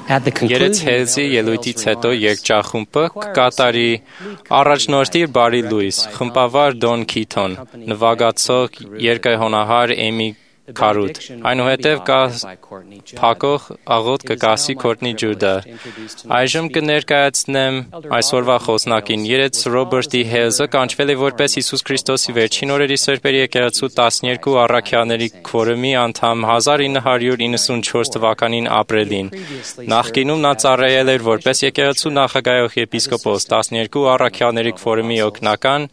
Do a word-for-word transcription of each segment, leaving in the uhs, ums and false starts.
Երեց հեզի ելույթից հետո երգչախումբը կկատարի առաջնորդի բարի լույս, խմբավար Դոն Քիթոն, նվագացող երգահոնահար Էմի Քարութ, այնուհետև կա փակող աղոտ կկասի Քորտնի Ջուդա։ Այժմ կներկայացնեմ այսօրվա խոսնակին։ Երեց Ռոբերտի Հեզը կանչվել է որպես Հիսուս Քրիստոսի վերջին օրերի սրբերի եկեղեցու տասներկու առաքյալների քվորումի անդամ հազար ինը հարյուր իննսունչորս թվականին ապրիլին։ Նախկինում նա ծառայել էր որպես եկեղեցու նախագահող եպիսկոպոս, տասներկու առաքյալների քվորումի օգնական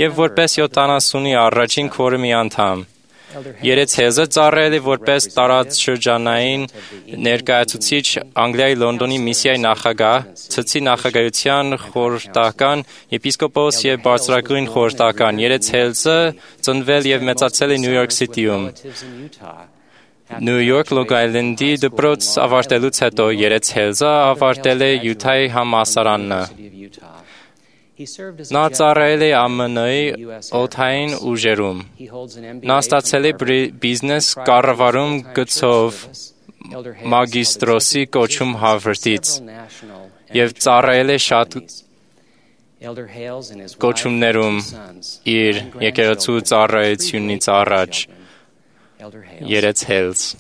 և որպես յոթանասունի առաջին քվորումի անդամ։ Երեց Հեզը ծառայել է որպես տարածաշրջանային ներկայացուցիչ Անգլիայի Լոնդոնի միսիայի նախագահ, ցցի նախագահության խորհրդական, եպիսկոպոս և բարձրագույն խորհրդական։ Երեց Հեզը ծնվել և մեծացել է Նյու Յորք Սիթիում։ Նյու Յորք Լոնգ Այլենդի դպրոց ավարտելուց հետո Երեց Հեզը ավարտել է Յութայի համալսարանը։ Նա ծառայել է ԱՄՆ-ի օդային ուժերում։ Նա ստացել է բիզնես կառավարում գծով մագիստրոսի կոչում Հարվարդից և ծառայել է շատ կոչումներում իր եկեղեցու ծառայությունից առաջ։ Երեց Հեզ։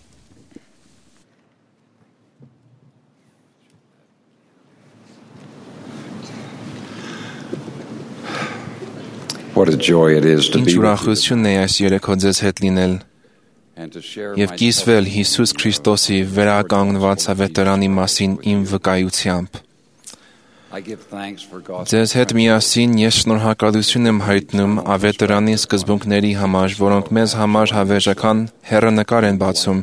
Ինչ ուրախություն է այս երեքո ձեզ հետ լինել և կիսվել Հիսուս Քրիստոսի վերականգնված ավետարանի մասին իմ վկայությամբ։ Ձեզ հետ միասին ես շնորհակալություն եմ հայտնում ավետարանի սկզբունքների համար, որոնք մեզ համար հավերժական հեռանկար են բացում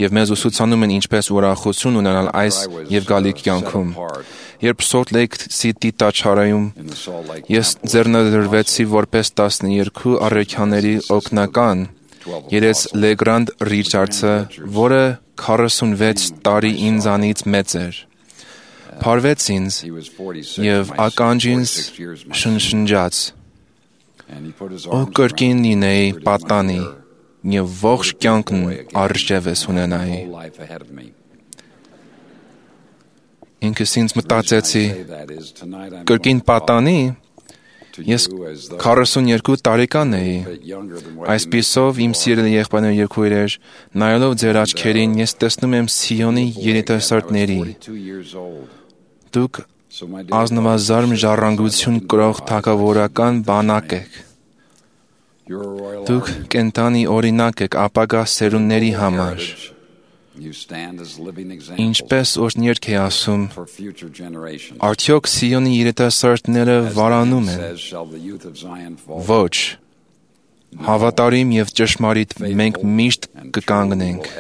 և մեզ ուսուցանում են ինչպես ուրախություն ունենալ այս և գալիք կյանքում։ Երբ Սոլտ Լեյք Սիթի տաճարում ես ձեռնադրվեցի որպես տասներկու առաքյալների օգնական, երեց Լեգրանդ Ռիչարդսը, որը քառասունվեց տարի ինձանից մեծ էր, փարվեց ինձ և ականջինս շնշնջաց. «Ո կրկին լինեի պատանի և ողջ կյանքն առջևս ունենայի»։ Ինքս ինձ մտածեցի. կրկին պատանի՞։ Ես քառասունյոթ տարեկան էի։ Այսպիսով, իմ սիրելի եղբայրներ և քույրեր, նայելով ձեր աչքերին, ես տեսնում եմ Սիոնի երիտասարդների։ Դուք ազնվազարմ ժառանգություն կրող թագավորական բանակ եք։ Դուք կենդանի օրինակ եք ապագա սերունդների համար։ Ինչպես օրհներգ է ասում, արդյոք Սիոնի երիտասարդները վարանում են։ Ոչ, հավատարիմ և ճշմարիտ մենք միշտ կկանգնենք։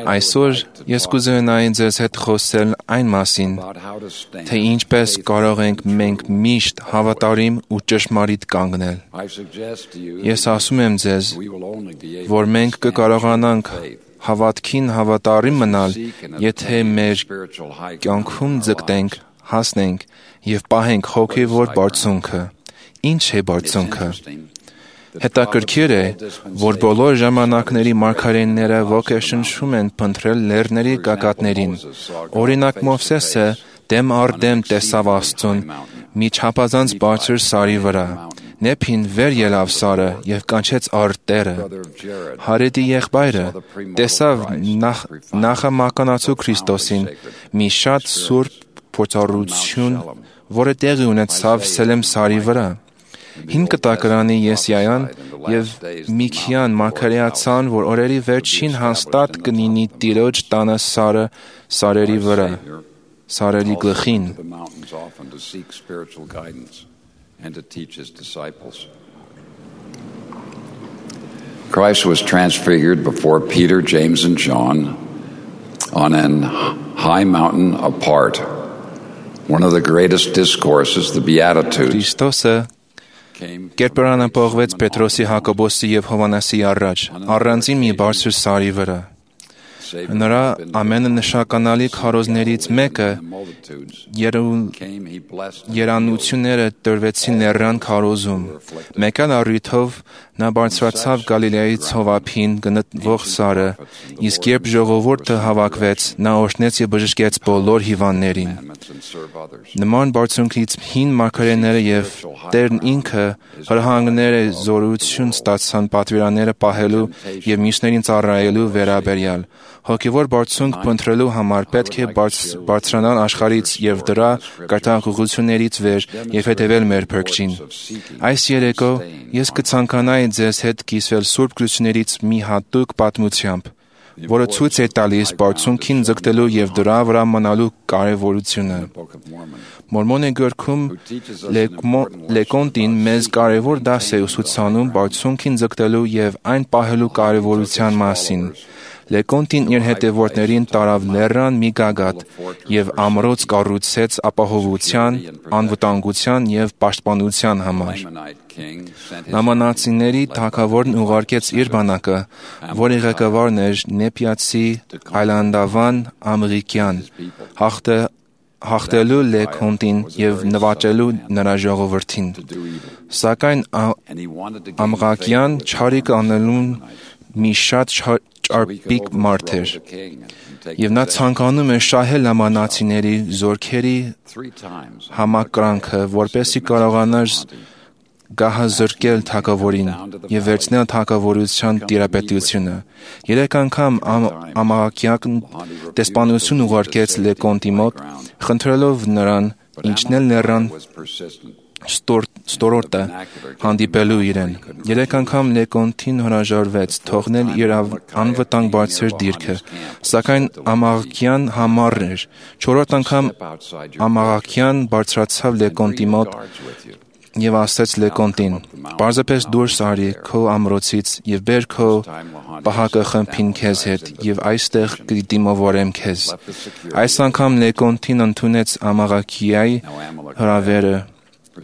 Այսօր ես կուզենայի ձեզ հետ խոսել այն մասին, թե ինչպես կարող ենք մենք միշտ հավատարիմ ու ճշմարիտ կանգնել։ Ես ասում եմ ձեզ, որ մենք կկարողանանք հավատքին հավատարիմ մնալ, եթե մեր կյանքում ձգտենք, հասնենք և պահենք հոգևոր բարձունքը։ Ինչ է բարձունքը։ Հետաքրքիր է, որ բոլոր ժամանակների մարգարեները ոգեշնչում են փնտրել լեռների գագաթներին։ Օրինակ Մովսեսը դեմ առ դեմ տեսավ Աստծուն մի չափազանց բարձր սարի վրա։ Նեփին վեր ելավ սարը և կանչեց առ Տերը։ Հարեդի եղբայրը տեսավ նախ, նախամականացու Քրիստոսին, մի շատ սուրբ փորձառություն, որը տեղի ունեցավ Սելեմ սարի վրա։ Հին կտակարանի Եսայիան և Միքիան մարգարեացան, որ օրերի վերջին հաստատ կլինի Տիրոջ տանը սարը սարերի վրա, սարերի գլխին։ Christ was transfigured before Peter, James, and John on an high mountain apart. One of the greatest discourses, the Beatitudes. Քրիստոսը կերպարանապողվեց Պետրոսի, Հակոբոսի և Հովհաննեսի առաջ, առանձին մի բարձր սարի վրա։ Նրա ամենանշանալի քարոզներից մեկը երանությունները տրվեցին լեռան քարոզում։ Մեկ այլ առիթով նա բարձրացավ Գալիլեայի ցովափին գտնվող սարը, իսկ երբ ժողովուրդը հավաքվեց, նա օրհնեց և բժշկեց բոլոր հիվանդներին։ Նման բարձունքից հին մարգարեները և Տերն ինքը հրահանգները զորություն ստացան պատվիրանները պահելու և մյուսներին ծառայելու վերաբերյալ։ Հոգևոր բարձունք փնտրելու համար պետք է բարձրանալ աշխարհից և դրա կրթաղություններից վեր և հետևել մեր Փրկչին։ Այս երեկո ես կցանկանայի ձեզ հետ կիսվել Սուրբ Գրություններից մի հատուկ պատմությամբ, որը ցույց է տալիս բարձունքին ձգտելու և դրա վրա մնալու կարևորությունը։ Մորմոնի գրքում Լեկոնտին մեզ կարևոր դաս է ուսուցանում բարձունքին ձգտելու և այն պահելու կարևորության մասին։ Լեկոնտին իր հետևորդներին տարավ լեռան մի գագաթ և ամրոց կառուցեց ապահովության, անվտանգության և պաշտպանության համար։ Նամանացիների թագավորն ուղարկեց իր բանակը, որի ղեկավարն էր Նեպիացի այլանդավան Ամղիկյան, հաղթելու Լեկոնտին և նվաճելու նրա ժողովրդին։ Սակայն Ամղակյան չարիք անելուն մի շատ ճարպիկ մարդ էր, և նա ցանկանում էր շահել նամանացիների զորքերի համակրանքը, որպեսզի կարողանար գահազրկել թագավորին և վերցնել թագավորության տիրապետությունը։ Երեք անգամ Ամղակյանն դեսպանություն ուղարկեց Լեկոնտի մոտ, խնդրելով նրան իջնել լեռան ստորոտը հանդիպելու իրեն։ Երեք անգամ Լեկոնտին հրաժարվեց թողնել իր անվտանգ բարձր դիրքը, սակայն Ամղակյան համառ էր։ Չորրորդ անգամ Ամղակյան բարձրացավ Լեկոնտի մոտ և ասեց Լեկոնտին. «Պարզապես դուրս արի քո ամրոցից և բեր քո պահակը խմբին քեզ հետ և այստեղ կդիմավորեմ քեզ»։ Այս անգամ Լեկոնտին ընդունեց Ամղակյայի հրավերը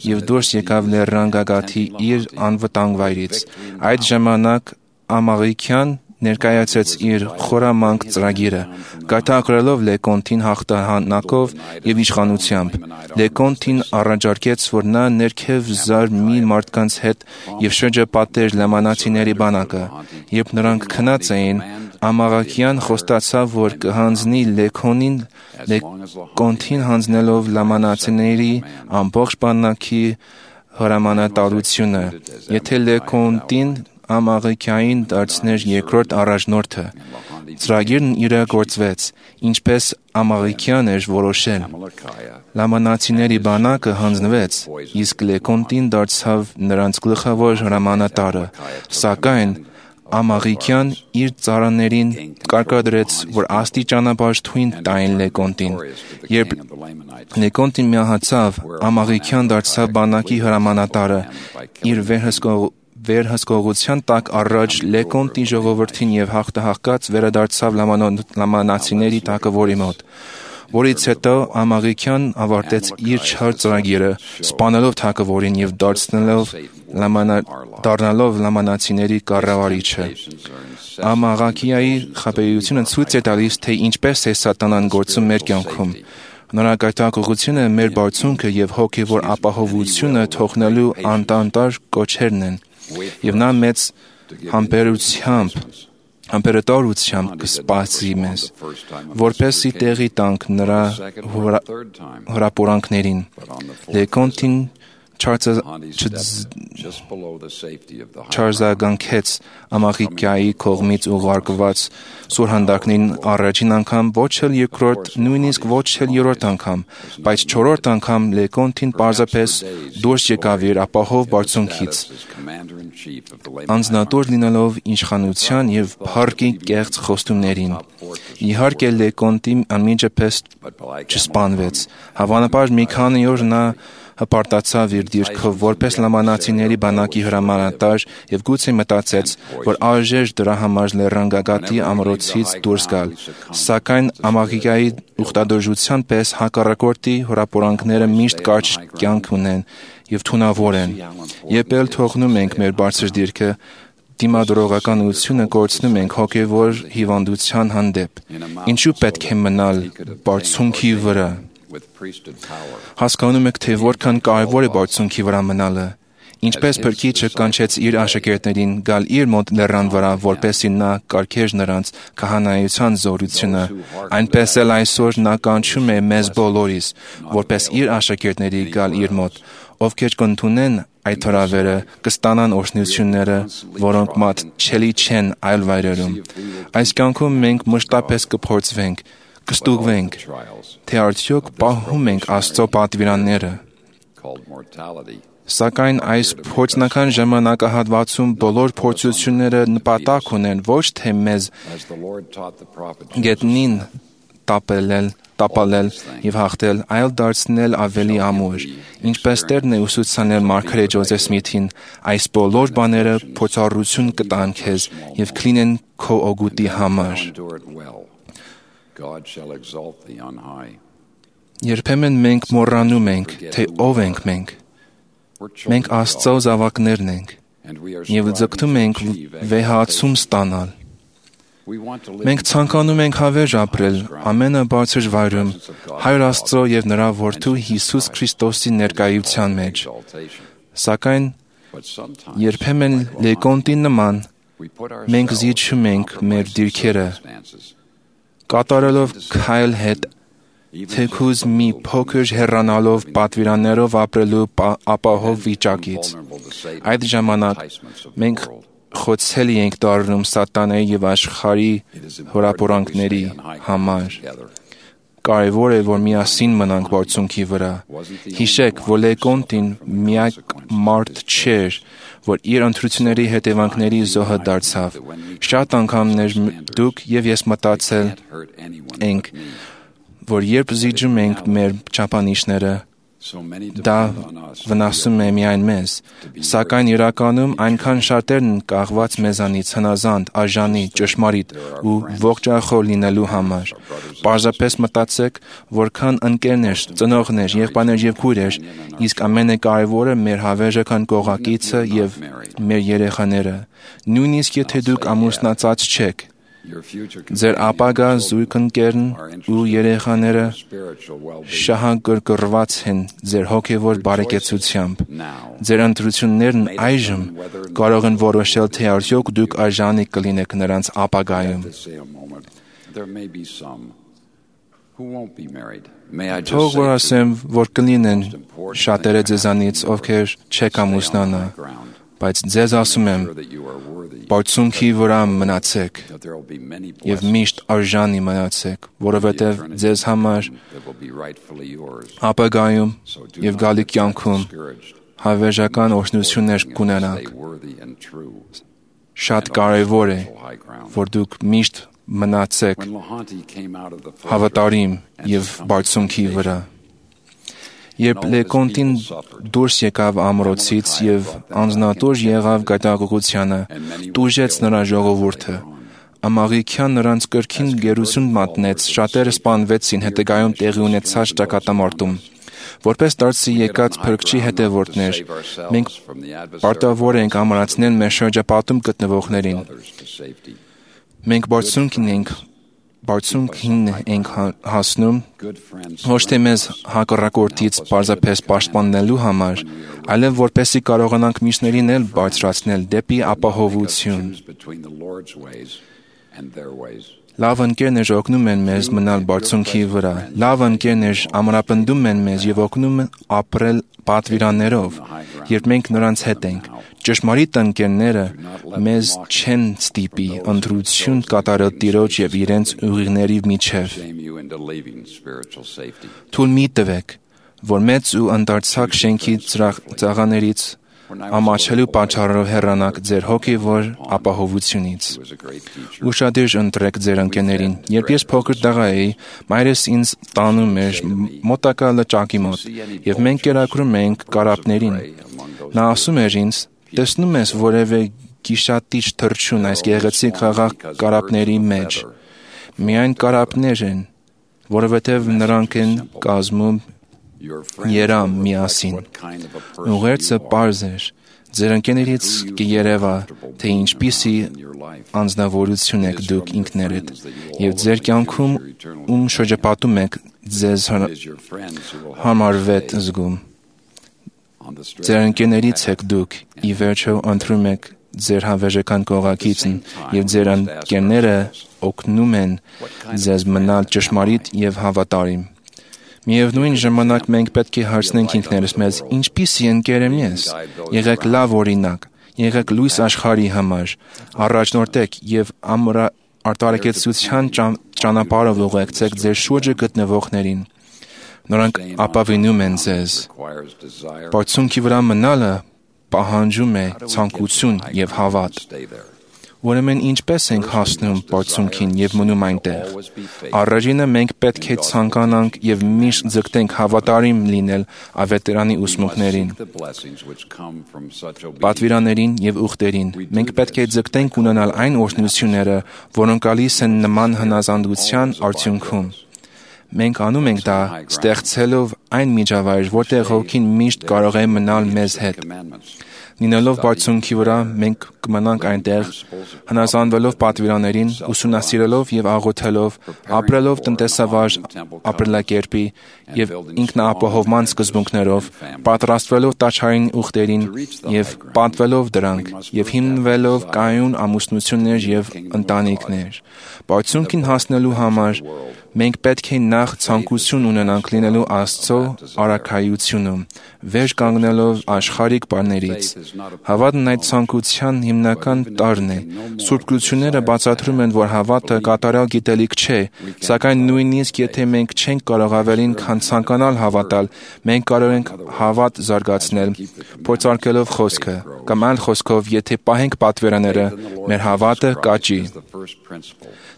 և դուրս եկավ լեռան գագաթի իր անվտանգ վայրից։ Այդ ժամանակ Ամղիկյան ներկայացրեց իր խորամանկ ծրագիրը, գայթակղելով Լեկոնտին հաղթանակով և իշխանությամբ։ Լեկոնտին առաջարկեց, որ նա ներքև զար մի մարդկանց հետ և շրջապատեր նամանացիների բանակը։ Երբ նրանք քնած էին, Ամղակյան խոստացավ, որ կհանձնի Լեկոնին, Լեկոնտին հանձնելով նամանացիների ամբողջ բանակի հրամանատարությունը, եթե Լեկոնտին Ամղիկյանին դարձներ երկրորդ առաջնորդը։ Ծրագիրն իրագործվեց, ինչպես Ամղիկյան էր որոշել։ Նամանացիների բանակը հանձնվեց, իսկ Լեկոնտին դարձավ նրանց գլխավոր հրամանատարը, սակայն Ամղիկյան իր ծառաներին կարգադրեց, որ աստիճանաբար թույն տային Լեկոնտին։ Երբ Լեկոնտին մահացավ, Ամղիկյան դարձավ բանակի հրամանատարը, իր վերահսկողության տակ առաջ Լեկոնտի ժողովրդին և հաղթահաղկած վերադարձավ նամանացիների թագավորի մոտ, որից հետո Ամղիկյան ավարտեց իր չար ծրագիրը, սպանելով թագավորին և դառնալով նամանացիների կառավարիչը։ Ամղակյայի խաբեությունը ցույց է տալիս, թե ինչպես է սատանան գործում մեր կյանքում։ Նրա գայթակղությունը մեր բարձունքը և հոգևոր ապահովությունը թողնելու անդանդար կոչերն են, և նա մեծ համբերությամբ համբերատարությամբ կսպասի մեզ, որպեսզի տեղի տանք նրա հրապուրանքներին։ Լեկոնտին չարձագանքեց Ամղիկյայի կողմից ուղարկված սուրհանդակներին առաջին անգամ, ոչ էլ երկրորդ, նույնիսկ ոչ էլ երրորդ անգամ, բայց չորրորդ անգամ Լեկոնտին պարզապես դուրս եկավ իր ապահով բարձունքից, անձնատուր լինելով իշխանության և փառքի կեղծ խոստումներին։ Իհարկե Լեկոնտին անմիջապես չսպանվեց։ Հավանաբար մի քանի օր նա հպարտացավ իր դիրքով որպես նամանացիների բանակի հրամանատար և գուցե մտածեց, որ արժեր դրա համար լեռան գագաթի ամրոցից դուրս գալ։ Սակայն Ամղիկյայի ուխտադրության պես հակառակորդի հրապուրանքները միշտ կարճ կյանք ունեն և թունավոր են։ Երբ էլ թողնում ենք մեր բարձր դիրքը, դիմադրողականությունը կորցնում ենք հոգևոր հիվանդության հանդեպ։ Ինչու պետք է մնալ բարձունքի վրա։ Հասկանում եք, թե որքան կարևոր է բարձունքի վրա մնալը։ Ինչպես Փրկիչը կանչեց իր աշակերտներին գալ իր մոտ լեռան վրա, որպեսզի նա կարգեր նրանց քահանայության զորությունը, այնպես էլ այսօր նա կանչում է մեզ բոլորիս, որպես իր աշակերտների գալ իր մոտ, ովքեր կընդունեն այդ թրավերը, կստանան օրհնությունները, որոնք մատչելի չեն այլ վայրերում։ Այս կյանքում մենք մշտապես կփորձվենք, կստուգվենք, թե արդյոք պահում ենք Աստծո պատվիրանները։ Սակայն այս փորձնական ժամանակահատվածում բոլոր փորձությունները նպատակ ունեն ոչ թե մեզ գետնին տապելել, տապալել եւ հաղթել, այլ դարձնել ավելի ամուր։ Ինչպես Տերն է ուսուցանել Մարգարետ Ջոզեֆ Սմիթին, այս բոլոր բաները փորձառություն կտան քեզ եւ կլինեն քո օգուտի համար։ Երբեմն մենք մոռանում ենք, թե ով ենք մենք։ Մենք Աստծո զավակներն ենք եւ ձգտում ենք վեհացում ստանալ։ Մենք ցանկանում ենք հավերժ ապրել ամենաբարձր վայրում Հայր Աստծո եւ նրա Որդու Հիսուս Քրիստոսի ներկայության մեջ։ Սակայն երբեմն լեկոնտի նման մենք զիջում ենք մեր դիրքերը, կատարելով քայլ հետ թեկուզ մի փոքր հեռանալով պատվիրաններով ապրելու ապահով վիճակից։ Այդ ժամանակ մենք խոցելի ենք դառնում սատանայի եւ աշխարհի հորապորանքների համար։ Կարևոր է, որ միասին մնանք բարձունքի վրա։ Հիշեք, որ Լեկոնտին միակ մարդ չէր, որ իր ընտրությունների հետևանքների զոհը դարձավ։ Շատ անգամներ դուք եւ ես մտածել ենք, որ երբ զիջում ենք մեր չափանիշները, դա վնասում է միայն մեզ, սակայն իրականում այնքան շատերն կախված մեզանից հնազանդ, արժանի, ճշմարիտ ու ողջախոհ լինելու համար։ Պարզապես մտածեք, որքան ընկերներ, ծնողներ, եղբայրներ եւ քույրեր, իսկ ամենակարևորը մեր հավերժական կողակիցը եւ մեր երեխաները, նույնիսկ եթե դուք ամուսնացած չեք։ Ձեր ապագա զույգընկերն ու երեխաները շահագրգռված են ձեր հոգևոր բարեկեցությամբ։ Ձեր ընտրություններն այժմ կարող են որոշել, թե արդյոք դուք արժանի կլինեք նրանց ապագայում։ Թող որ ասեմ, որ կլինեն շատերը ձեզանից, ովքեր չեք ամուսնանա, բայց ձեզ ասում եմ, բարձունքի վրա մնացեք եւ միշտ արժանի մնացեք, որովհետեւ ձեզ համար ապագայում եւ գալիք կյանքում հավերժական օրհնություններ կունենաք։ Շատ կարեւոր է, որ դուք միշտ մնացեք հավատարիմ եւ բարձունքի վրա։ Երբ Լեկոնտին դուրս եկավ ամրոցից եւ անձնատուր եղավ գայթակղությանը, տուժեց նրա ժողովուրդը։ Ամաղիքյան նրանց կրքին գերություն մատնեց, շատերը սպանվեցին հետագայում տեղի ունեցած ճակատամարտում։ Որպես դարձի եկած Փրկչի հետևորդներ, մենք պարտավոր ենք ամրացնել մեր շրջապատում գտնվողներին։ Մենք բարձունքին ենք Բարձունքին ենք հասնում ոչ թե մեզ հակառակորդից պարզապես պաշտպանելու համար, այլև որպեսզի կարողանանք մյուսներին էլ բարձրացնել դեպի ապահովություն։ Լավ ընկերներ օգնում են մեզ մնալ բարձունքի վրա։ Լավ ընկերներ ամրապնդում են մեզ եւ օգնում ապրել պատվիրաններով, երբ մենք նրանց հետ ենք։ Ճշմարիտ ընկերները մեզ չեն ստիպի ընտրություն կատարել Տիրոջ եւ իրենց ուղիղների միջև։ Թույլ մի տվեք, որ մեծ ու ընդարձակ շենքի ծաղաներից ամաչելու պատճառով հեռանաք ձեր հոգևոր ապահովությունից։ Ուշադիր ընտրեք ձեր ընկերներին։ Երբ ես փոքր տղա էի, մայրս ինձ տանում էր մոտակա լճակի մոտ, եւ մենք կերակրում էինք կարապներին։ Նա ասում էր ինձ. «Տեսնում ես որևէ գիշատիչ թռչուն այս գեղեցիկ խաղաղ կարապների մեջ։ Միայն կարապներ են, որովհետև նրանք են կազմում երամ միասին»։ Ուղերձը պարզ էր։ Ձեր ընկերներից կերևա, թե ինչպիսի անձնավորություն եք դուք ինքներդ, եւ ձեր կյանքում ում շրջապատում եք ձեզ համարվետ զգում։ Ձեր ընկերներից եք դուք, ի վերջո ընտրում եք ձեր հավերժական կողակիցն, եւ ձեր ընկերները օգնում են ձեզ մնալ ճշմարիտ եւ հավատարիմ։ Միևնույն ժամանակ մենք պետք է հարցնենք ինքներս մեզ. ինչպիսի ընկեր եմ ես։ Եղեք լավ օրինակ, եղեք լույս աշխարհի համար, առաջնորդեք եւ արտարակեցության ճանապարհով ուղեկցեք ձեր շուրջը գտնվողներին։ Նրանք ապավինում են ձեզ։ Բարձունքի վրա մնալը պահանջում է ցանկություն եւ հավատ։ Ուրեմն ինչպես ենք հասնում բարձունքին եւ մնում այնտեղ։ Առաջինը մենք պետք է ցանկանանք եւ միշտ ձգտենք հավատարիմ լինել ավետարանի ուսմունքներին, պատվիրաններին եւ ուխտերին։ Մենք պետք է ձգտենք ունենալ այն օրհնությունները, որոնք գալիս են նման հնազանդության արդյունքում։ Մենք անում ենք դա ստեղծելով այն միջավայր, որտեղ հոգին միշտ կարող է մնալ մեզ հետ։ Լինելով բարձունքի վրա, մենք կմնանք այնտեղ, հնազանդվելով պատվիրաներին, ուսումնասիրելով եւ աղոթելով, ապրելով տնտեսավար ապրելակերպի եւ ինքնաապահովման սկզբունքներով, պատրաստվելով տաճարային ուխտերին եւ պատվելով դրանք, եւ հիմնվելով կայուն ամուսնություններ եւ ընտանիքներ։ Բարձունքին հասնելու համար մենք պետք է նախ ցանկություն ունենանք լինելու Աստծո առաքայությունում, վեր կանգնելով աշխարհիկ բաներից։ Հավատն այդ ցանկության հիմնական տարրն է։ Սուրբ Գրությունները բացատրում են, որ հավատը կատարյալ գիտելիք չէ, սակայն նույնիսկ եթե մենք չենք կարող ավելին, քան ցանկանալ հավատալ, մենք կարող ենք հավատ զարգացնել, փորձարկելով խոսքը, կամ այլ խոսքով, եթե պահենք պատվիրանները, մեր հավատը կաճի։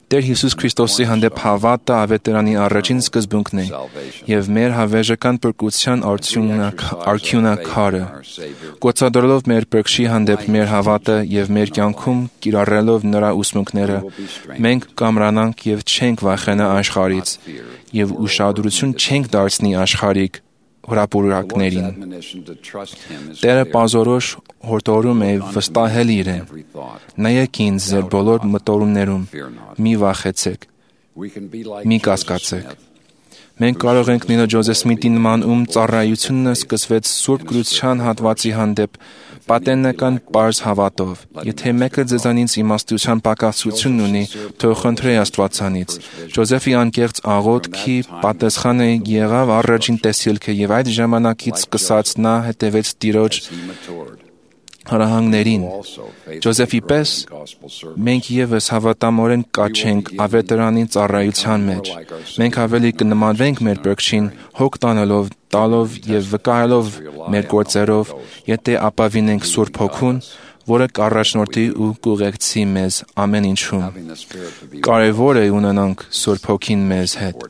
Տեր Հիսուս Քրիստոսի հանդեպ հավատը ավետարանի առաջին սկզբունքն է եւ մեր հավերժական փրկության արդյունաքարը։ Գործադրելով մեր Փրկչի հանդեպ մեր հավատը եւ մեր կյանքում կիրառելով նրա ուսմունքները, մենք կամրանանք եւ չենք վախենա աշխարհից եւ ուշադրություն չենք դարձնի աշխարհիկ հրապուրակներին։ Տերը պազորոշ հորդորում է վստահել իրեն։ Նայեք ինձ ձեր բոլոր մտորումներում, մի վախեցեք, մի կասկածեք։ Մենք կարող ենք լինել Ջոզեֆ Սմիթի նման, ում ծառայությունը սկսվեց Սուրբ Գրության հատվածի հանդեպ պատենական պարզ հավատով։ Եթե մեկը ձեզանից իմաստության պակասություն ունի, թող խնդրի Աստվածանից։ Ջոզեֆի անկեղծ աղոթքի պատասխանը եղավ առաջին տեսիլքը, եւ այդ ժամանակից սկսած նա հետևեց Տիրոջ հրահանգներին։ Ջոզեֆի պես մենք եւս հավատամորեն կաչենք ավետարանի ծառայության մեջ։ Մենք ավելի կնմանվենք մեր Փրկչին, հոգ տանելով, տալով եւ վկայելով մեր գործերով, եթե ապավինենք Սուրբ Հոգուն, որը կառաջնորդի ու կուղեկցի մեզ ամեն ինչում։ Կարևոր է ունենանք Սուրբ Հոգին մեզ հետ։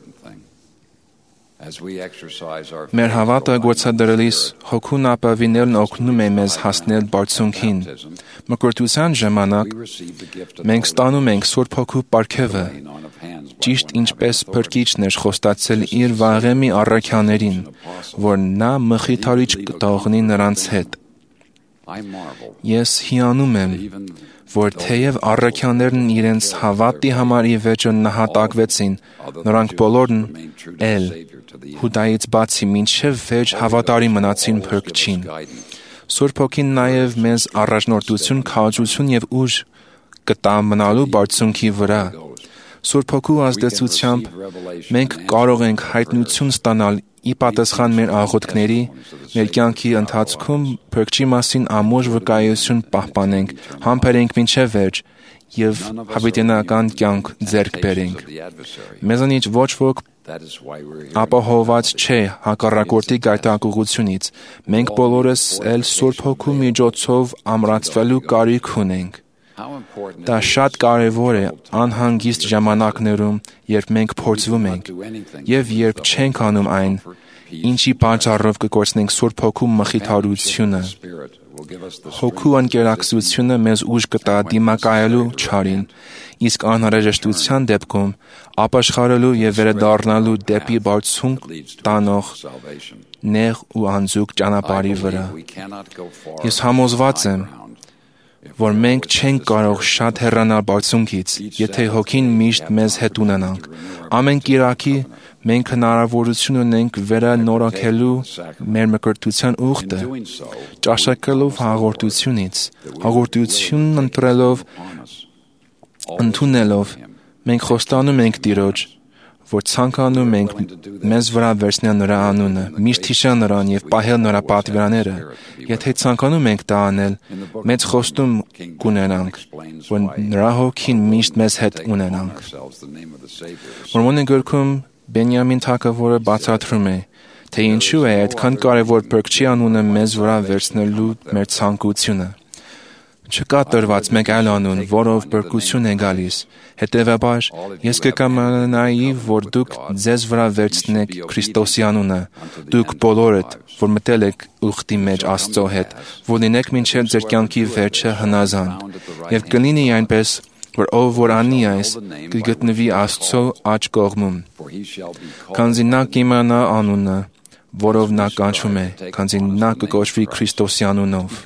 Մեր հավատը գործադրելիս Հոգուն ապավինելն օգնում է մեզ հասնել բարձունքին։ Մկրտության ժամանակ մենք ստանում ենք Սուրբ Հոգու պարգևը, ճիշտ ինչպես Փրկիչն էր խոստացել իր վաղեմի առաքյալներին, որ նա մխիթարիչ կթողնի նրանց հետ։ Ես հիանում եմ, որ թեև առաքյալներն իրենց հավատի համար ի վերջո նահատակվեցին, նրանք բոլորն էլ Հուդայից բացի մինչև վերջ հավատարիմ մնացին Փրկչին։ Սուրբ Հոգին նաև մեզ առաջնորդություն, քաջություն եւ ուժ կտա մնալու բարձունքի վրա։ Սուրբ Հոգու ազդեցությամբ մենք կարող ենք հայտնություն ստանալ ի պատասխան մեր աղոթքների, մեր կյանքի ընթացքում Փրկչի մասին ամուր վկայություն պահպանենք, համբերենք մինչև վերջ եւ հավիտենական կյանք ձեռք բերենք։ Մեզանից ոչ ոք ապահովված չէ հակառակորդի գայթակղությունից։ Մենք բոլորս էլ Սուրբ Հոգու միջոցով ամրացվելու կարիք ունենք։ Դա շատ կարևոր է անհանգիստ ժամանակներում, երբ մենք փորձվում ենք, եւ երբ չենք անում այն, ինչի պատճառով կկորցնենք Սուրբ Հոգու մխիթարությունը։ Հոգու ընկերակցությունը մեզ ուժ կտա դիմակայելու չարին, իսկ անհրաժեշտության դեպքում ապաշխարելու եւ վերադառնալու դեպի բարձունք տանող նեղ ու անձուկ ճանապարհի վրա։ Ես համոզված եմ, որ մենք չենք կարող շատ հեռանալ բարձունքից, եթե Հոգին միշտ մեզ հետ ունենանք։ Ամեն կիրակի մենք հնարավորություն ունենք վերանորոգելու մեր մկրտության ուխտը, ճաշակելով հաղորդությունից, հաղորդությունն ընտրելով, ընդունելով, մենք խոստանում ենք Տիրոջ, որ ցանկանում ենք մեզ վրա վերցնել նրա անունը, միշտ հիշել նրան և պահել նրա պատվիրանները։ Եթե ցանկանում ենք դա անել, մեծ խոստում կունենանք, որ նրա Հոգին միշտ մեզ հետ ունենանք։ Մորմոնի գրքում Բենյամին թագավորը բացատրում է, թե ինչու է այդքան կարևոր Փրկչի անունը մեզ վրա վերցնելու մեր ցանկությունը։ Չկա տրված մեկ այլ անուն, որով փրկություն է գալիս։ Հետևաբար, ես կկամենայի, որ դուք ձեզ վրա վերցնեք Քրիստոսի անունը, դուք բոլորդ, որ մտել եք ուխտի մեջ Աստծո հետ, որ լինեք մինչև ձեր կյանքի վերջը հնազանդ, և կլինի այնպես, որ ով որ անի այս, կգտնվի Աստծո աջ կողմում, քանզի նա կիմանա անունը, որով նա կանչում է, քանզի նա կկոչվի Քրիստոսի անունով։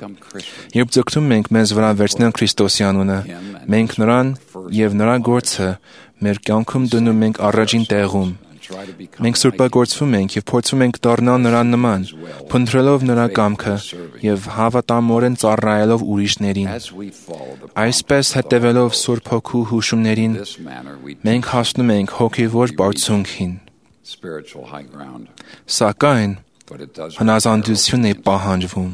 Երբ ձգտում ենք մեզ վրա վերցնել Քրիստոսի անունը, մենք նրան և նրա գործը մեր կյանքում դնում ենք առաջին տեղում։ Մենք սրբագործվում ենք և փորձում ենք դառնալ նրան նման, փնտրելով նրա կամքը և հավատամորեն ծառայելով ուրիշներին։ Այսպես հետևելով Սուրբ Հոգու հուշումներին, մենք հասնում ենք հոգևոր բարձունքին։ Սակայն հնազանդություն է պահանջվում։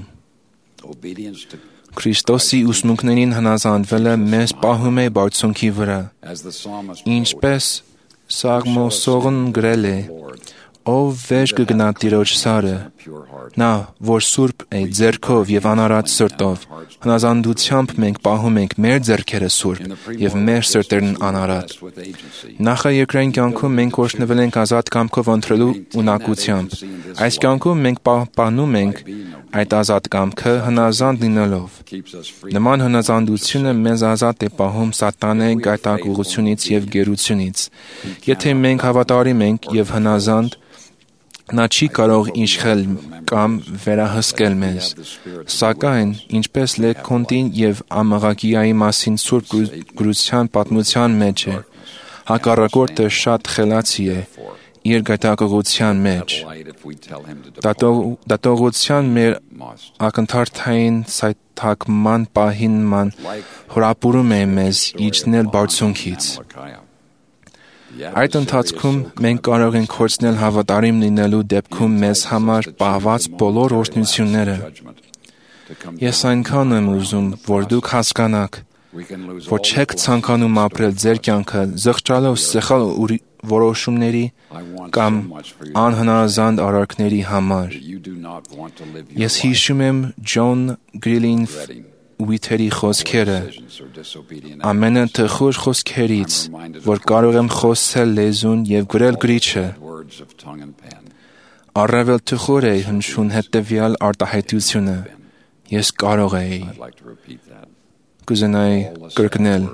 Քրիստոսի ուսմունքներին հնազանդվելը մեզ պահում է բարձունքի վրա, ինչպես Սաղմոսողն գրել է. «Ով վեր կգնա Տիրոջ սարը, նա, որ սուրբ է ձեռքով և անարատ սրտով, հնազանդությամբ մենք պահում ենք մեր ձեռքերը սուրբ և մեր սրտերն անարատ»։ Նախաերկրային կյանքում մենք օրհնվել ենք ազատ կամքով ընտրելու ունակությամբ։ Այս կյանքում մենք պահպանում ենք այդ ազատ կամքը հնազանդ լինելով։ Նման հնազանդությունը մեզ ազատ է պահում սատանայի գայթակղությունից և գերությունից։ Եթե մենք հավատարիմ ենք և հնազանդ, նա չի կարող իշխել կամ վերահսկել մեզ։ Սակայն, ինչպես Լեքոնտի և Ամաղագիայի մասին Սուրբ գրության պատմության մեջ է, հակառակորդը շատ խելացի է իր գայթակղության մեջ։ Դատողության մեր ակնթարթային սայթաքման պահին նման հրապուրում է մեզ իջնել բարձունքից։ Այդ ընթացքում մենք կարող ենք կորցնել հավատարիմ լինելու դեպքում մեզ համար պահված բոլոր օրհնությունները։ Ես այնքան եմ ուզում, որ դուք հասկանաք, որ չեք ցանկանում ապրել ձեր կյանքը զղջալով սխալ որոշումների կամ անհնազանդ արարքների համար։ Ես հիշում եմ Ջոն Գրինլիֆ-Ուիթերի խոսքերը. «Ամենաթխուր խոսքերից, որ կարող եմ խոսել լեզուն և գրել գրիչը, առավել թխուր է հնչում հետևյալ արտահայտությունը. ես կարող էի»։ Կուզենայի կրկնել.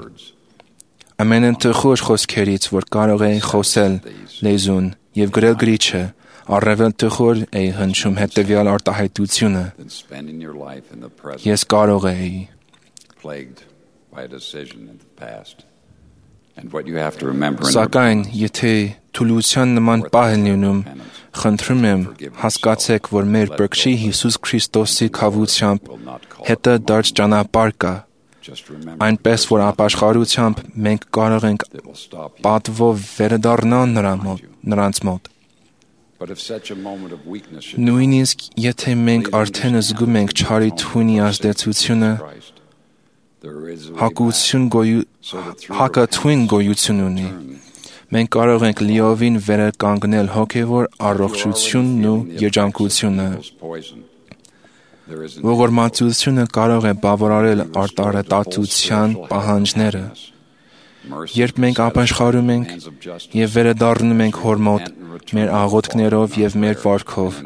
ամենաթխուր խոսքերից, որ կարող էի խոսել լեզուն և գրել գրիչը, առավել թխուր է հնչում հետևյալ արտահայտությունը. ես կարող էի։ Սակայն, եթե թուլության նման պահ է լինում, խնդրում եմ, հասկացեք, որ մեր Փրկչի Հիսուս Քրիստոսի քավությամբ հետը դարձ ճանապարհ կա, այնպես որ ապաշխարությամբ մենք կարող ենք պատվով վերադառնալ նրանց մոտ։ Նույնիսկ եթե մենք արդեն զգում ենք չարի թունի ազդեցությունը, հակաթույն գոյություն ունի, մենք կարող ենք լիովին վերականգնել հոգևոր առողջությունն ու երջանկությունը։ Ողորմածությունը կարող է բավարարել արտարետածության պահանջները։ Երբ մենք ապաշխարում ենք և վերադառնում ենք Հոր մոտ մեր աղոթքներով և մեր վարքով,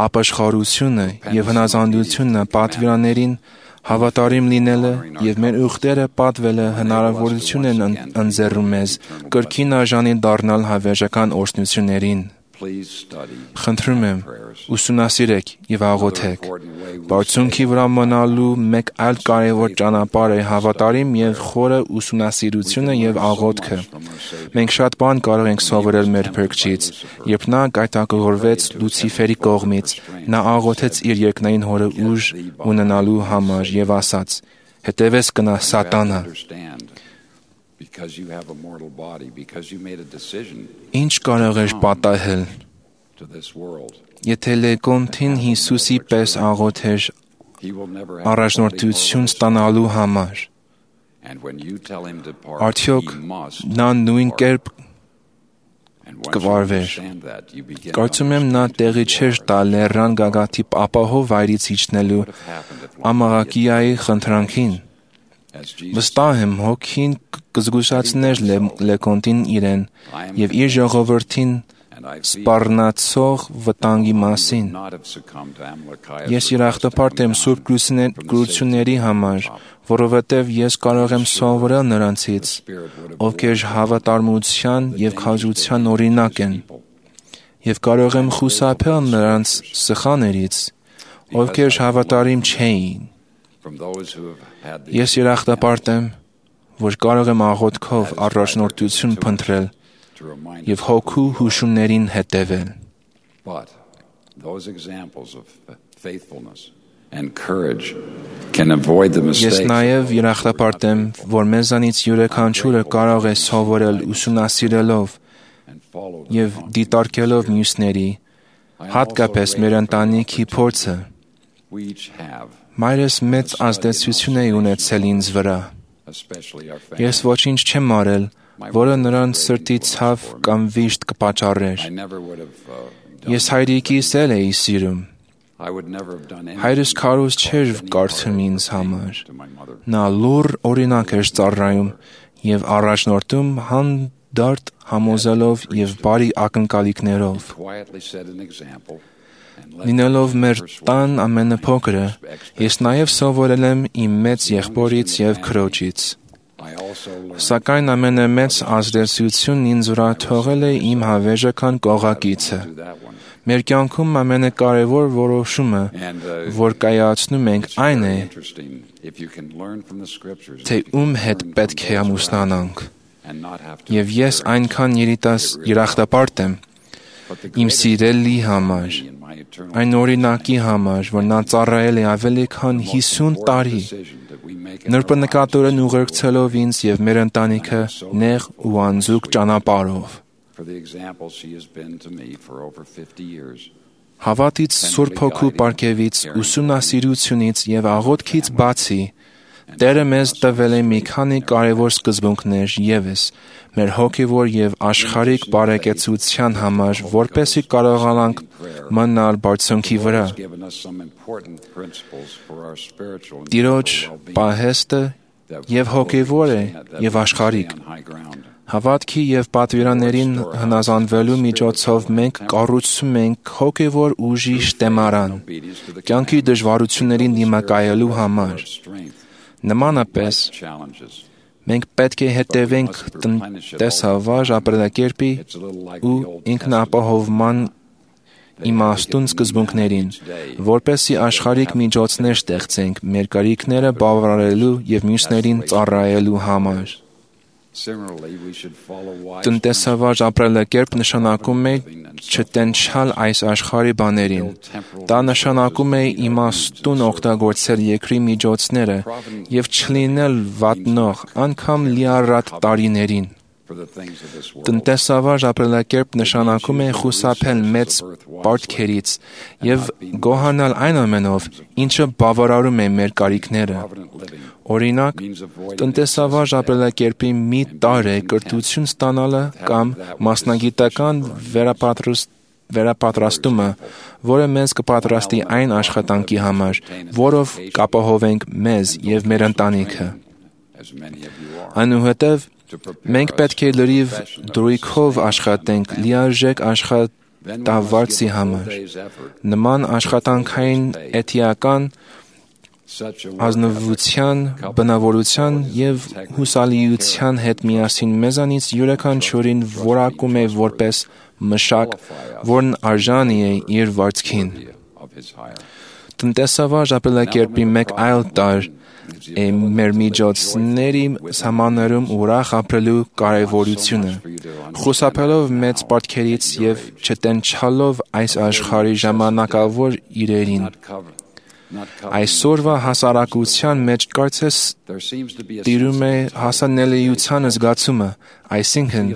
ապաշխարությունը և հնազանդությունը պատվիրաններին հավատարիմ լինելը և մեր ուխտերը պատվելը հնարավորություն են ընձեռում մեզ կրկին արժանի դառնալ հավերժական օրհնություններին։ Խնդրում եմ, ուսումնասիրեք եւ աղոթեք։ Բարձունքի վրա մնալու մեկ այլ կարևոր ճանապարհ է հավատարիմ եւ խորը ուսումնասիրությունը եւ աղոթքը։ Մենք շատ բան կարող ենք սովորել մեր Փրկչից, երբ նա գայթակղորվեց Լուցիֆերի կողմից, նա աղոթեց իր երկնային Հորը ուժ ունենալու համար եւ ասաց. «Հետևես կնա Սատանա»։ Ինչ կարող էր պատահել, եթե Լեկոնտին Հիսուսի պես աղոթեր առաջնորդություն ստանալու համար։ Արդյոք նա նույն կերպ կվարվեր։ Կարծում եմ նա տեղի չէր տա լեռան գագաթի ապահով վայրից իջնելու Ամաղակիայի խնդրանքին։ Վստահ եմ, Հոգին կզգուշացներ Լեկոնտին իրեն եւ իր ժողովրդին սպառնացող վտանգի մասին։ Ես երախտապարտ եմ Սուրբ գրությունների համար, որովհետև ես կարող եմ սովորել նրանցից, ովքեր հավատարմության եւ քաջության օրինակ են, եւ կարող եմ խուսափել նրանց սխալներից, ովքեր հավատարիմ չէին։ Ես երախտապարտ եմ, որ կարող եմ աղոթքով առաջնորդություն փնտրել եւ հոգու հուշումներին հետևել։ Ես նաև երախտապարտ եմ, որ մեզանից յուրաքանչյուրը կարող է սովորել ուսումնասիրելով եւ դիտարկելով մյուսների, հատկապես մեր ընտանիքի փորձը։ Մայրս մեծ ազդեցություն է ունեցել ինձ վրա։ Ես ոչինչ չեմ արել, որը նրան սրտի ցավ կամ վիշտ կպատճառեր։ Ես հայրիկիս էլ էի սիրում։ Հայրս քարոզ չէր կարդում ինձ համար։ Նա լուռ օրինակ էր ծառայում եւ առաջնորդում հանդարտ համոզելով եւ բարի ակնկալիքներով։ Լինելով մեր տան ամենափոքրը, ես նաև սովորել եմ իմ մեծ եղբորից եւ քրոջից։ Սակայն ամենամեծ ազդեցությունն ինձ վրա թողել է իմ հավերժական կողակիցը։ Մեր կյանքում ամենակարևոր որոշումը, որ կայացնում ենք, այն է, թե ում հետ պետք է ամուսնանանք։ Եվ ես այնքան երախտապարտ եմ իմ սիրելի համար, այն օրինակի համար, որ նա ծառայել է ավելի քան հիսուն տարի, նրբանկատորեն ուղեկցելով ինձ եւ մեր ընտանիքը նեղ ու անձուկ ճանապարհով։ Հավատից Սուրբ Հոգու պարգևից, ուսումնասիրությունից եւ աղոթքից բացի, Տերը մեզ տվել է մի քանի կարևոր սկզբունքներ ևս մեր հոգևոր եւ աշխարհիկ բարեկեցության համար, որպեսզի կարողանանք մնալ բարձունքի վրա։ Տիրոջ պահեստը եւ հոգևոր է եւ աշխարհիկ։ Հավատքի եւ պատվիրաններին հնազանդվելու միջոցով մենք կառուցում ենք հոգևոր ուժի շտեմարան, կյանքի դժվարություններին դիմակայելու համար։ Նմանապես, մենք պետք է հետևենք տնտեսավար ապրելակերպի ու ինքնապահովման իմաստուն սկզբունքներին, որպեսզի աշխարհիկ միջոցներ ստեղծենք մեր կարիքները բավարարելու եւ մյուսներին ծառայելու համար։ Տնտեսավար ապրելակերպ նշանակում է չտենչալ այս աշխարհի բաներին։ Դա նշանակում է իմաստուն օգտագործել երկրի միջոցները եւ չլինել վատնող, անգամ լիառատ տարիներին։ Տնտեսավար ապրելակերպ նշանակում է խուսափել մեծ պարտքերից եւ գոհանալ այն ամենով, ինչը բավարարում է մեր կարիքները։ Օրինակ, տնտեսավար ապրելակերպի մի տարր է կրթություն ստանալը կամ մասնագիտական վերապատրաստումը, որը մեզ կպատրաստի այն աշխատանքի համար, որով կապահովենք մեզ եւ մեր ընտանիքը։ Այնուհետև մենք պետք է լրիվ դրույքով աշխատենք լիարժեք աշխատավարձի համար։ Նման աշխատանքային էթիկան ազնվության, բնավորության և հուսալիության հետ միասին մեզանից յուրաքանչյուրին որակում է որպես մշակ, որն արժանի է իր վարձքին։ Տնտեսավար ապրելակերպի մեկ այլ տարր է մեր միջոցների սահմաններում ուրախ ապրելու կարևորությունը, խուսափելով մեծ պարտքերից և չտենչալով այս աշխարհի ժամանակավոր իրերին։ Այսօրվա հասարակության մեջ կարծես տիրում է հասանելիության զգացումը, այսինքն,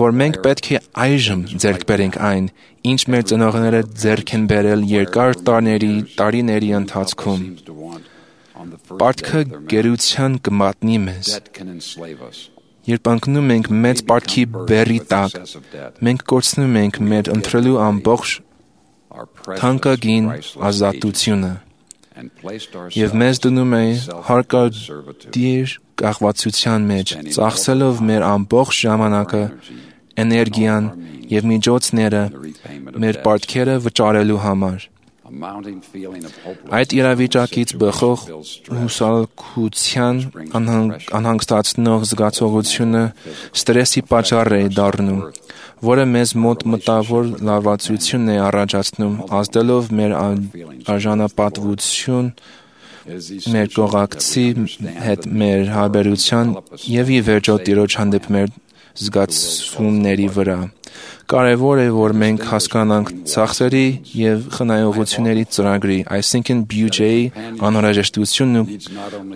որ մենք պետք է այժմ ձեռք բերենք այն, ինչ մեր ծնողները ձեռք են բերել երկար տարիների, տարիների ընթացքում։ Պարտքը գերության կմատնի մեզ։ Երբ ընկնում ենք մեծ պարտքի բեռի տակ, մենք կորցնում ենք մեր ընտրելու ամբողջ թանկագին ազատությունը և մեզ դնում է հարկադիր կախվածության մեջ, ծախսելով մեր ամբողջ ժամանակը, էներգիան և միջոցները մեր պարտքերը վճարելու համար։ Այդ իրավիճակից բխող հուսալքության անհանգստացնող զգացողությունը ստրեսի պատճառ է դառնում, որը մեզ մոտ մտավոր լարվածություն է առաջացնում, ազդելով մեր արժանապատվություն, մեր կողակցի հետ մեր հարաբերության և ի վերջո Տիրոջ հանդեպ մեր զգացումների վրա։ Կարևոր է, որ մենք հասկանանք ծախսերի և խնայողությունների ծրագրի, այսինքն բյուջեի անհրաժեշտությունն ու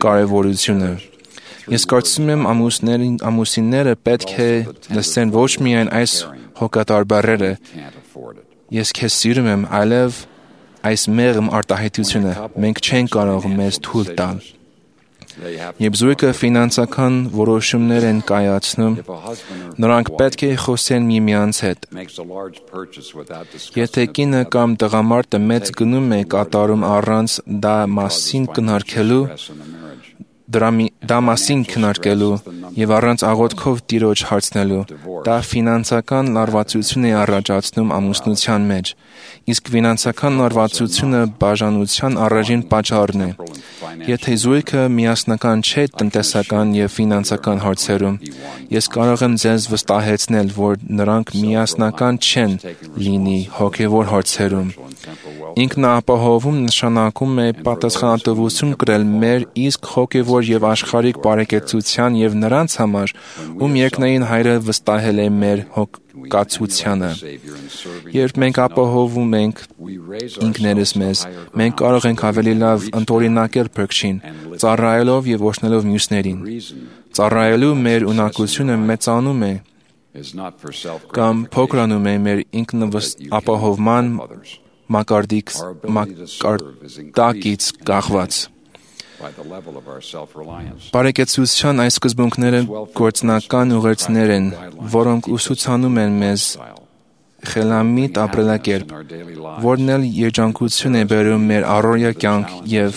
կարևորությունը։ Ես կարծում եմ ամուսինները պետք է լսեն ոչ միայն այս հոգատար բառերը «Ես քեզ սիրում եմ», այլև այս մեղմ արտահայտությունը «Մենք չենք կարող մեզ թույլ տալ»։ Երբ զույգը ֆինանսական որոշումներ են կայացնում, նրանք պետք է խոսեն միմյանց հետ։ Եթե կինը կամ տղամարդը մեծ գնում է կատարում առանց դա մասին քննարկելու, դա մասին քննարկելու և առանց աղոթքով Տիրոջ հարցնելու, դա ֆինանսական լարվածություն է առաջացնում ամուսնության մեջ, իսկ ֆինանսական լարվածությունը բաժանության առաջին պատճառն է։ Եթե զույգը միասնական չէ տնտեսական և ֆինանսական հարցերում, ես կարող եմ ձեզ վստահեցնել, որ նրանք միասնական չեն լինի հոգևոր հարցերում։ Ինքնաապահովում նշանակում է պատասխանատվություն կրել մեր իսկ հոգևոր և աշխարհիկ բարեկեցության և նրանց համար, ում երկնային Հայրը վստահել է մեր հոգացությանը։ Երբ մենք ապահովում ենք ինքներս մեզ, մենք կարող ենք ավելի լավ ընդօրինակել Փրկչին, ծառայելով և օրհնելով մյուսներին։ Ծառայելու մեր ունակությունը մեծանում է կամ փոքրանում է մեր ինքնապահովման մակարդակից կախված։ Բարեկեցության այս սկզբունքները գործնական ուղերձներ են, որոնք ուսուցանում են մեզ խելամիտ ապրելակերպ, որն էլ երջանկություն է բերում մեր առօրյա կյանք և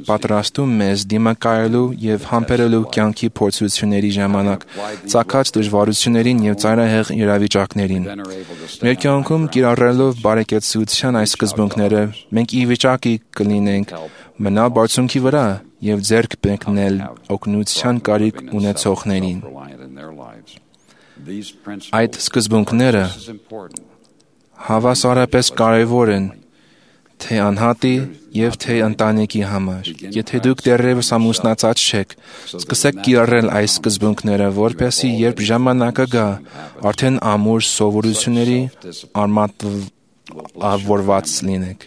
պատրաստում մեզ դիմակայելու և համբերելու կյանքի փորձությունների ժամանակ ծագած դժվարություններին և ծայրահեղ իրավիճակներին։ Մեր կյանքում կիրառելով բարեկեցության այս սկզբունքները, մենք ի վիճակի կլինենք մնալ բարձունքի վրա և ձեռք մեկնել օգնության կարիք ունեցողներին։ Այդ սկզբունքները հավասարապես կարևոր են թե անհատի և թե ընտանիքի համար։ Եթե դուք դեռևս ամուսնացած չեք, սկսեք կիրառել այս սկզբունքները, որպեսզի երբ ժամանակը գա, արդեն ամուր սովորությունների արմատավորված լինեք։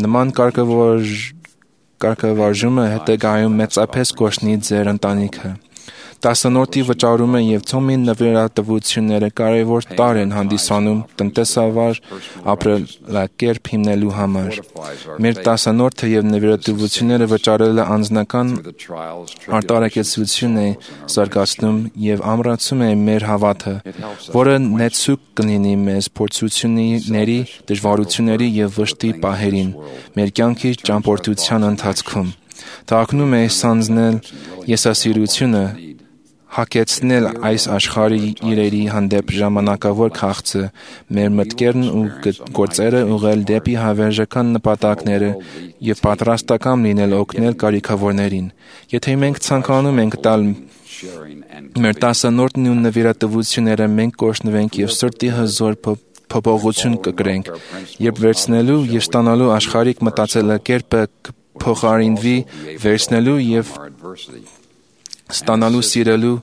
Նման կարգավարժումը հետագայում մեծապես կօգնի ձեր ընտանիքը։ Դասանորդի վճարումը և Թոմի նվիրատվությունները կարևոր տարր են հանդիսանում տնտեսավար ապրելակերպ հիմնելու համար։ Մեր դասանորդը և նվիրատվությունները վճարելը անձնական արտարակեցություն է զարգացնում և ամրացնում է մեր հավատը, որը նեցուկ կլինի մեզ փորձությունների, դժվարությունների և վշտի պահերին մեր կյանքի ճամփորդության ընթացքում։ Դա օգնում է սանձնել եսասիրությունը, հակեցնել այս աշխարհի իրերի հանդեպ ժամանակավոր քաղցը, մեր մտքերն ու գործերը ուղղել դեպի հավերժական նպատակները եւ պատրաստական լինել օգնել կարիքավորներին։ Եթե մենք ցանկանում ենք տալ մեր տասանորդն ու նվիրատվությունները, մենք կօրհնվենք եւ սրտի հզոր փոփոխություն կկրենք, երբ վերցնելու եւ ստանալու աշխարհիկ մտածելակերպը փոխարինվի վերցնելու եւ ստանալու, սիրելու,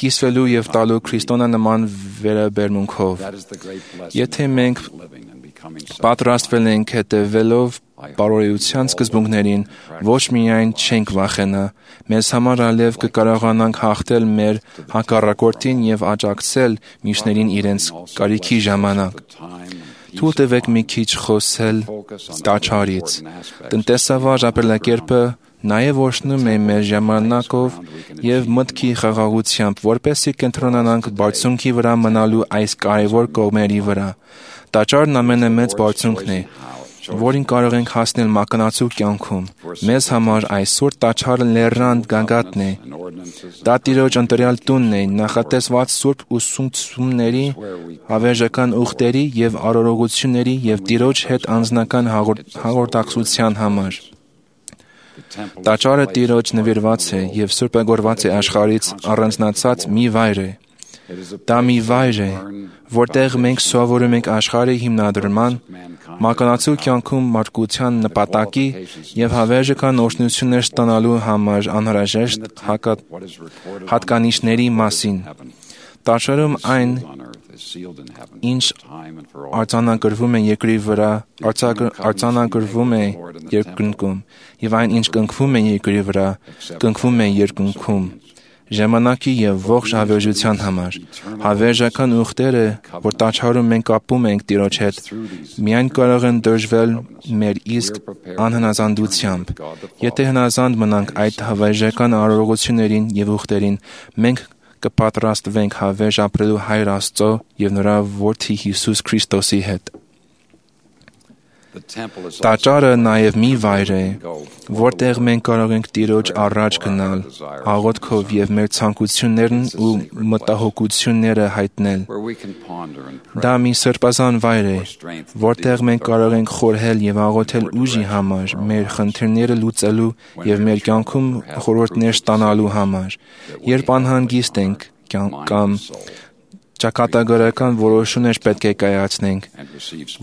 կիսվելու եւ տալու քրիստոնյանման վերաբերմունքով։ Եթե մենք պատրաստվել ենք հետևելով բարոյության սկզբունքներին, ոչ միայն չենք վախենա, մեզ համար ալև կկարողանանք հաղթել մեր հակառակորդին եւ աջակցել մյուսներին իրենց կարիքի ժամանակ։ Թույլ տվեք մի քիչ խոսել տաճարից։ Տնտեսավար ապրելակերպը նաև օրհնում է մեր ժամանակով եւ մտքի խաղաղությամբ, որպեսզի կենտրոնանանք բարձունքի վրա մնալու այս կարևոր կողմերի վրա։ Տաճարն ամենամեծ բարձունքն է, որին կարող ենք հասնել մականացու կյանքում։ Մեզ համար այսօր տաճարը լեռան գագաթն է։ Դա Տիրոջ ընտրյալ տունն է, նախատեսված սուրբ ուսուցումների, հավերժական ուխտերի եւ արարողությունների եւ Տիրոջ հետ անձնական հաղորդակցության համար։ Տաճարը Տիրոջ նվիրված է եւ սուրբագորված է աշխարհից առանձնացած մի վայր է։ Դա մի վայր է, որտեղ մենք սովորում ենք աշխարհի հիմնադրման, մականացու կյանքում մարդկության նպատակի եւ հավերժական օրհնություններ ստանալու համար անհրաժեշտ հատկանիշների մասին։ Տաճարում այն, ինչ արձանագրվում է երկրի վրա, արձանագրվում է երկնքում, եւ այն, ինչ կնքվում է երկրի վրա, կնքվում է երկնքում, ժամանակի եւ ողջ հավերժության համար։ Հավերժական ուխտերը, որ տաճարում մենք կապում ենք Տիրոջ հետ, միայն կարող են դրժվել մեր իսկ անհնազանդությամբ։ Եթե հնազանդ մնանք այդ հավերժական արարողություններին եւ ուխտերին, մենք կպատրաստվենք հավերժ ապրելու Հայր Աստծո եւ նրա Որդի Հիսուս Քրիստոսի հետ։ Տաճարը նաև մի վայր է, որտեղ մենք կարող ենք Տիրոջ առաջ գնալ, աղոթքով եւ մեր ցանկություններն ու մտահոգությունները հայտնել։ Դա մի սրբազան վայր է, որտեղ մենք կարող ենք խորհել եւ աղոթել ուժի համար, մեր խնդիրները լուծելու եւ մեր կյանքում խորհուրդներ ստանալու համար։ Երբ անհանգիստ ենք կամ ճակատագրական որոշումներ պետք է կայացնենք,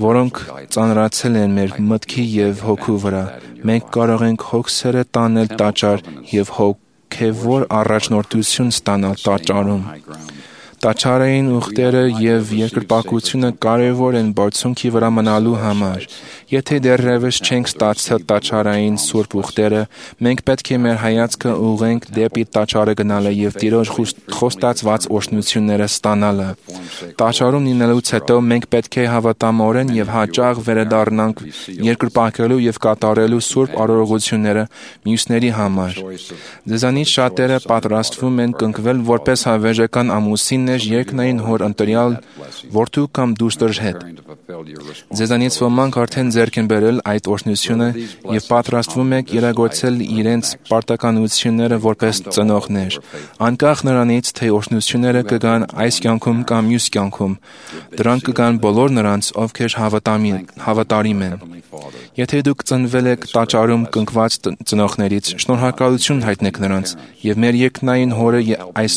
որոնք ծանրացել են մեր մտքի եւ հոգու վրա, մենք կարող ենք հոգսերը տանել տաճար եւ հոգեվոր առաջնորդություն ստանալ տաճարում։ Տաճարային ուխտերը եւ երկրպագությունը կարևոր են բարձունքի վրա մնալու համար։ Եթե դեռևս չենք ստացել տաճարային սուրբ ուխտերը, մենք պետք է մեր հայացքը ուղղենք դեպի տաճարը գնալը եւ Տիրոջ խոստացված օրհնությունները ստանալը։ Տաճարում լինելուց հետո մենք պետք է հավատամորեն եւ հաճախ վերադառնանք երկրպագելու եւ կատարելու սուրբ արարողությունները մյուսների համար։ Ձեզանից շատերը պատրաստվում են կնքվել որպես հավերժական ամուսին երկնային հոր ընտրյալ որդու կամ դուստր հետ։ Ձեզանից ոմանք արդեն ձեռք են բերել այդ օրհնությունը եւ պատրաստվում եք իրագործել իրենց պարտականությունները որպես ծնողներ։ Անկախ նրանից, թե օրհնությունները կգան այս կյանքում կամ մյուս կյանքում, դրանք կգան բոլոր նրանց, ովքեր հավատարիմ են։ Եթե դուք ծնվել եք տաճարում կնքված ծնողներից, շնորհակալություն հայտնեք նրանց եւ մեր երկնային հորը այս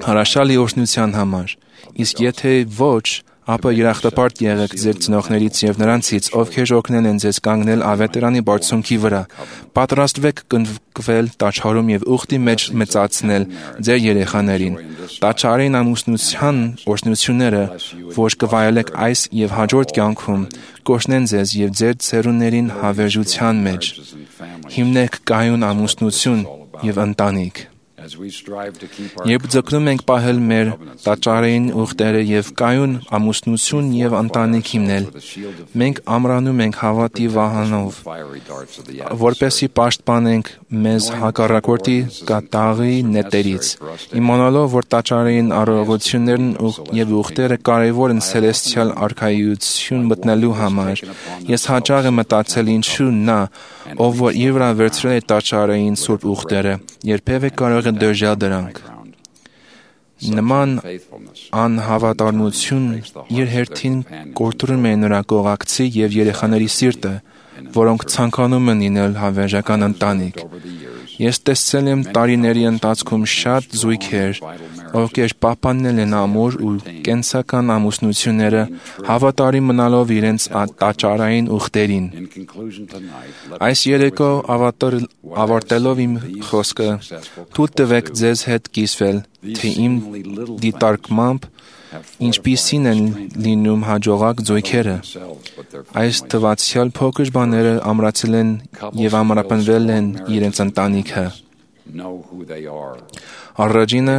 հրաշալի օրհնության համար։ Իսկ եթե ոչ, ապա երախտապարտ եղեք ձեր ծնողներից եւ նրանցից, ովքեր օգնել են ձեզ կանգնել ավետարանի բարձունքի վրա։ Պատրաստվեք կնքվել տաճարում եւ ուխտի մեջ մեծացնել ձեր երեխաներին։ Տաճարային ամուսնության օրհնությունները, որ կվայելեք այս եւ հաջորդ կյանքում, կօրհնեն ձեզ եւ ձեր ցերուններին հավերժության մեջ։ Հիմնեք կայուն ամուսնություն եւ ընտանիք։ Երբ ձգտում ենք պահել մեր տաճարային ուխտերը եւ կայուն ամուսնություն եւ ընտանիք հիմնել, մենք ամրանում ենք հավատի վահանով, որպեսզի պաշտպանենք մեզ հակառակորդի կատաղի նետերից։ Իմանալով, որ տաճարային արարողություններն եւ ուխտերը կարեւոր են ցելեստիալ արքայություն մտնելու համար, ես հաճախ եմ մտածել ինչու նա, ով որ իր վրա վերցրել է տաճարային սուրբ ուխտերը, երբևէ կարող է դժալ դրանք։ Նման անհավատարմություն իր հերթին կորտում է նրա կողակցի և երեխաների սիրտը, որոնք ցանկանում են լինել հավերժական ընտանիք։ Ես տեսել եմ տարիների ընթացքում շատ զույգեր, ովքեր պահպանել են ամուր ու կենսական ամուսնությունները, հավատարիմ մնալով իրենց տաճարային ուխտերին։ Այս երեկո ավարտելով իմ խոսքը, թույլ տվեք ձեզ հետ կիսվել, թե իմ դիտարկմամբ ինչպիսին են լինում հաջողակ զույգերը։ Այս թվացյալ փոքր բաները ամրացել են և ամրապնդվել են իրենց ընտանիքը։ Առաջինը,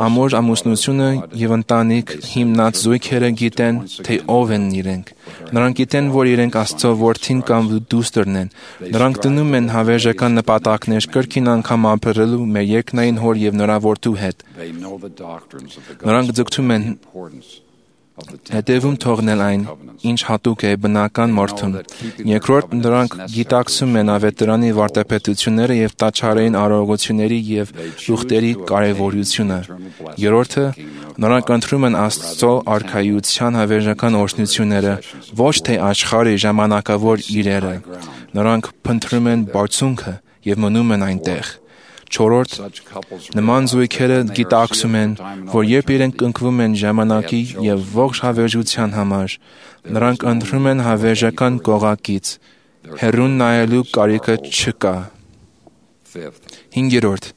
ամուր ամուսնությունը և ընտանիք հիմնած զույգերը գիտեն, թե ով են իրենք։ Նրանք գիտեն, որ իրենք Աստծո որդին կամ դուստրն են։ Նրանք դնում են հավերժական նպատակներ կրկին անգամ ապրելու մեր երկնային Հոր և նրա որդու հետ։ Նրանք ձգտում են հետևում թողնել այն, ինչ հատուկ է բնական մարդուն։ Երկրորդ, նրանք գիտակցում են ավետարանի վարդապետությունները և տաճարային արարողությունների և ուխտերի կարևորությունը։ Երրորդը, նրանք ընտրում են Աստծո արքայության հավերժական օրհնությունները, ոչ թե աշխարհի ժամանակավոր իրերը։ Նրանք փնտրում են բարձունքը և մնում են այնտեղ։ Չորրորդ, նման զույգերը գիտակցում են, որ երբ իրենք ընկվում են ժամանակի և ողջ հավերժության համար, նրանք ընտրում են հավերժական կողակից, հեռուն նայելու կարիքը չկա։ Հինգերորդ,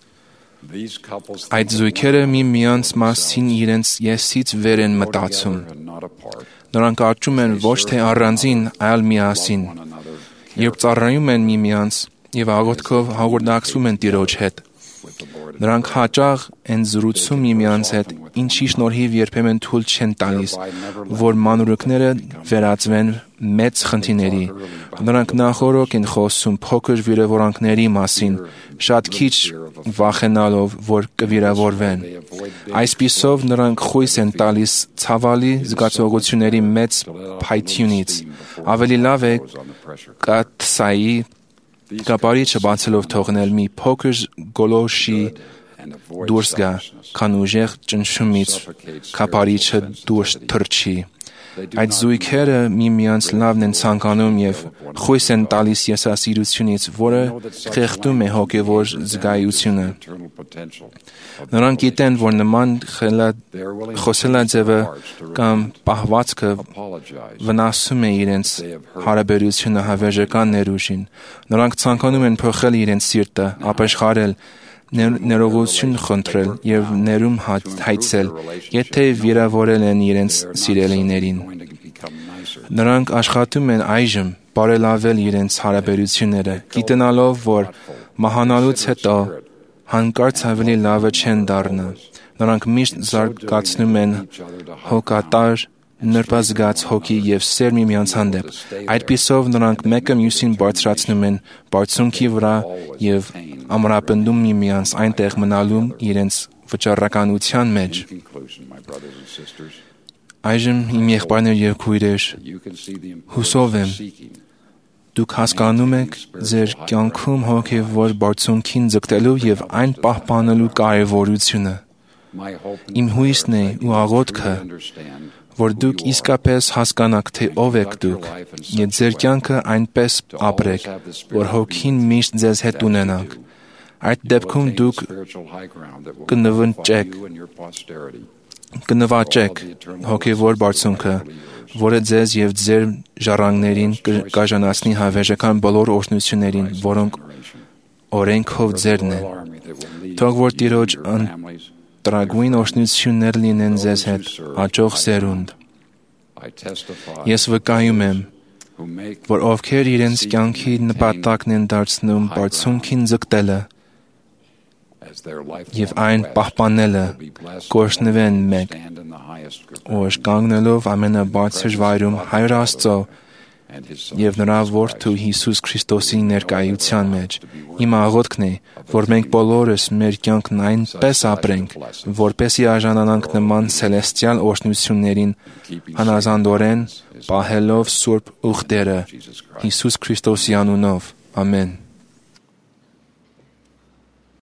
այդ զույգերը միմյանց մասին իրենց եսից վեր են մտածում։ Նրանք աճում են ոչ թե առանձին, այլ միասին։ Երբ ծառայում են միմյանց և աղոթքով հաղորդակցվում են Տիրոջ հետ, նրանք հաճախ են զրուցում միմյանց հետ, ինչի շնորհիվ երբեմն թույլ չեն տալիս, որ մանրուքները վերածվեն մեծ խնդիրների։ Նրանք նախօրոք են խոսում փոքր վիրավորանքների մասին, շատ քիչ վախենալով, որ կվիրավորվեն։ Այսպիսով նրանք խույս են տալիս ցավալի զգացողությունների մեծ փայտյունից։ Ավելի լավ է կաթսայի կապարիչը բացելով թողնել մի փոքր գոլորշի դուրս գա, քան ուժեղ ճնշումից կապարիչը դուրս թռչի։ Այդ զույգերը միմյանց լավն են ցանկանում և խույս են տալիս եսասիրությունից, որը խեղդում է հոգևոր զգայությունը։ Նրանք գիտեն, որ նման խոսելաձևը կամ պահվածքը վնասում է իրենց հարաբերությունը հավերժական ներուժին։ Նրանք ցանկանում են փոխել իրենց սիրտը, ապաշխարել, ներողություն խնդրել և ներում հայցել, եթե վիրավորել են իրենց սիրելիներին։ Նրանք աշխատում են այժմ բարելավել իրենց հարաբերությունները, գիտենալով, որ մահանալուց հետո հանկարծ ավելի լավը չեն դառնա։ Նրանք միշտ զարգացնում են հոգատար, նրբազգաց հոգի և սեր միմյանց հանդեպ։ Այդպիսով նրանք մեկը մյուսին բարձրացնում են բարձունքի վրա և ամրապնդում միմյանց այնտեղ մնալու իրենց վճռականության մեջ։ Այժմ իմ եղբայրներ և քույրեր, հուսով եմ, դուք հասկանում եք ձեր կյանքում հոգևոր բարձունքին ձգտելու և այն պահպանելու կարևորությունը։ Իմ հույսն է ու աղոթքը, որ դուք իսկապես հասկանաք, թե ով եք դուք, և ձեր կյանքը այնպես ապրեք, որ Հոգին միշտ ձեզ հետ ունենաք։ Այդ դեպքում դուք կնվաճեք, կնվաճեք հոգևոր բարձունքը, որը ձեզ և ձեր ժառանգներին կարժանացնի հավերժական բոլոր օրհնություններին, որոնք օրենքով ձերն են։ Թող որ Տիրոջ տրագույն օրհնություններ լինեն ձեզ հետ, հաջող սերունդ։ Ես վկայում եմ, որ ովքեր իրենց կյանքի նպատակն են դարձնում բարձունքին ձգտելը և այն պահպանելը, կօրհնվեն մեկ օր կանգնելով ամենաբարձր վայրում Հայր Աստծո և նրա Որդու Հիսուս Քրիստոսի ներկայության մեջ։ Իմ աղոթքն է, որ մենք բոլորս մեր կյանքն այնպես ապրենք, որպեսզի արժանանանք նման ցելեստիալ օրհնություններին, հնազանդորեն պահելով սուրբ ուխտերը Հիսուս Քրիստոսի անունով։ Ամեն։